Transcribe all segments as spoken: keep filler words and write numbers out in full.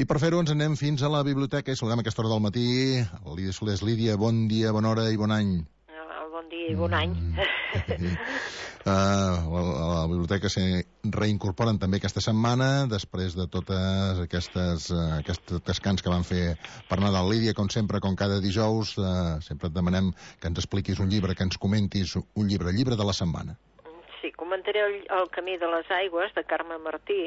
I per fer-ho ens anem fins a la biblioteca i saludem a aquesta hora del matí. Lídia Solés. Lídia, bon dia, bona hora i bon any. Bon dia i bon any. Mm. Uh, la, la biblioteca se reincorporen també aquesta setmana després de totes aquestes uh, aquests descans que van fer per Nadal. Lídia, com sempre, com cada dijous, uh, sempre et demanem que ens expliquis un llibre, que ens comentis un llibre, llibre de la setmana. Sí, comentaré el, el Camí de les Aigües, de Carme Martí,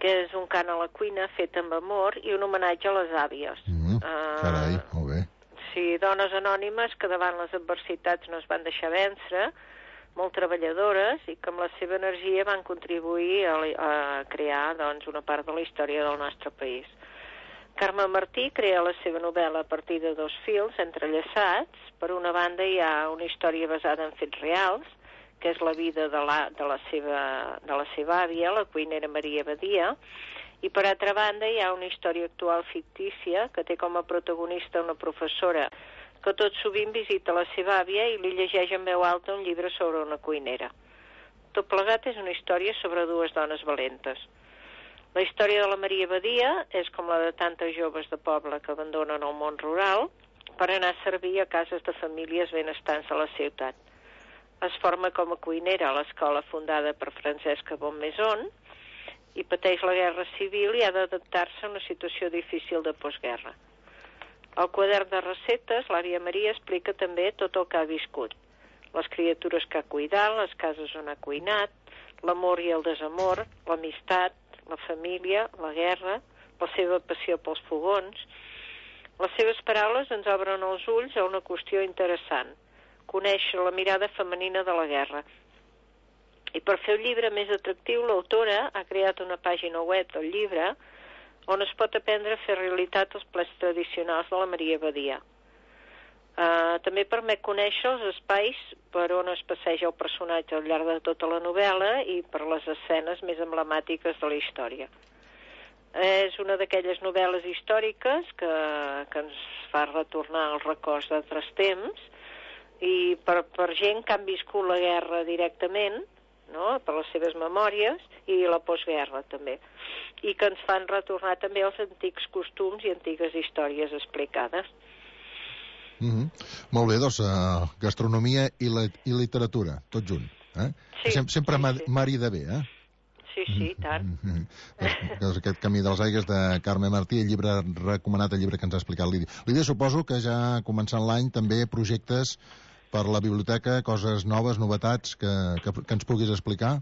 que és un cant a la cuina fet amb amor i un homenatge a les àvies. Mm, carai, uh, molt bé. Sí, dones anònimes que davant les adversitats no es van deixar vèncer, molt treballadores i que amb la seva energia van contribuir a, a crear doncs, una part de la història del nostre país. Carme Martí crea la seva novel·la a partir de dos fils entrellaçats. Per una banda hi ha una història basada en fets reals, que és la vida de la, de la, seva, de la seva àvia, la cuinera Maria Badia, i per altra banda hi ha una història actual fictícia que té com a protagonista una professora que tot sovint visita la seva àvia i li llegeix en veu alta un llibre sobre una cuinera. Tot plegat és una història sobre dues dones valentes. La història de la Maria Badia és com la de tantes joves de poble que abandonen el món rural per anar a servir a cases de famílies benestants de la ciutat. Es forma com a cuinera a l'escola fundada per Francesca Bonmaison i pateix la guerra civil i ha d'adaptar-se a una situació difícil de postguerra. Al quadern de receptes, l'àvia Maria explica també tot el que ha viscut. Les criatures que ha cuidat, les cases on ha cuinat, l'amor i el desamor, l'amistat, la família, la guerra, la seva passió pels fogons. Les seves paraules ens obren els ulls a una qüestió interessant, conèixer la mirada femenina de la guerra. I per fer el llibre més atractiu, l'autora ha creat una pàgina web del llibre on es pot aprendre a fer realitat els plats tradicionals de la Maria Badia. Uh, també permet conèixer els espais per on es passeja el personatge al llarg de tota la novel·la i per les escenes més emblemàtiques de la història. És una d'aquelles novel·les històriques que, que ens fa retornar als records d'altres temps i per, per gent que han viscut la guerra directament, no? Per les seves memòries i la postguerra també, i que ens fan retornar també als antics costums i antigues històries explicades. Mm-hmm. Molt bé, doncs uh, gastronomia i, la, i literatura, tot junt, eh? Sí, Sem sempre sí, sí. marida bé, eh? Sí, sí, tant. Mm-hmm. Doncs aquest Camí de les Aigües de Carme Martí, el llibre recomanat, el llibre que ens ha explicat Lídia. Lídia, suposo que ja començant l'any també projectes per la biblioteca, coses noves, novetats que, que, que ens puguis explicar?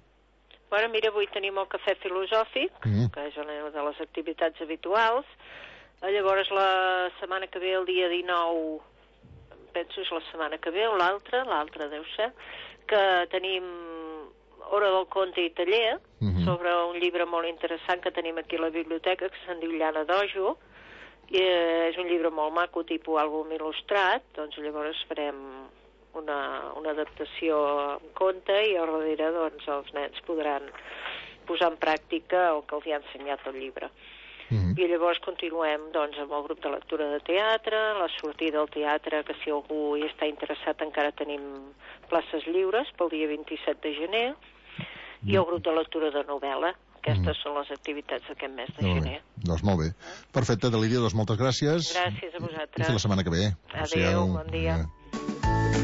Bueno, mira, avui tenim el cafè filosòfic, mm. que és una de les activitats habituals. Llavors, la setmana que ve, el dia dinou, penso és la setmana que ve, o l'altra, l'altra deu ser, que tenim Hora del Conte i taller, mm-hmm. sobre un llibre molt interessant que tenim aquí a la biblioteca, que se'n diu Llana d'Ojo, i és un llibre molt maco, tipus àlbum il·lustrat. Doncs llavors farem una, una adaptació en conte i al darrere doncs, els nens podran posar en pràctica el que els hi ha ensenyat el llibre. Mm-hmm. I llavors continuem doncs, amb el grup de lectura de teatre, la sortida al teatre, que si algú hi està interessat encara tenim places lliures pel dia vint-i-set de gener, mm-hmm. i el grup de lectura de novel·la. Aquestes mm-hmm. són les activitats d'aquest mes de molt gener. Bé. Doncs molt bé. Perfecte, Lídia, doncs moltes gràcies. Gràcies a vosaltres. I fins la setmana que ve. Adéu, bon dia.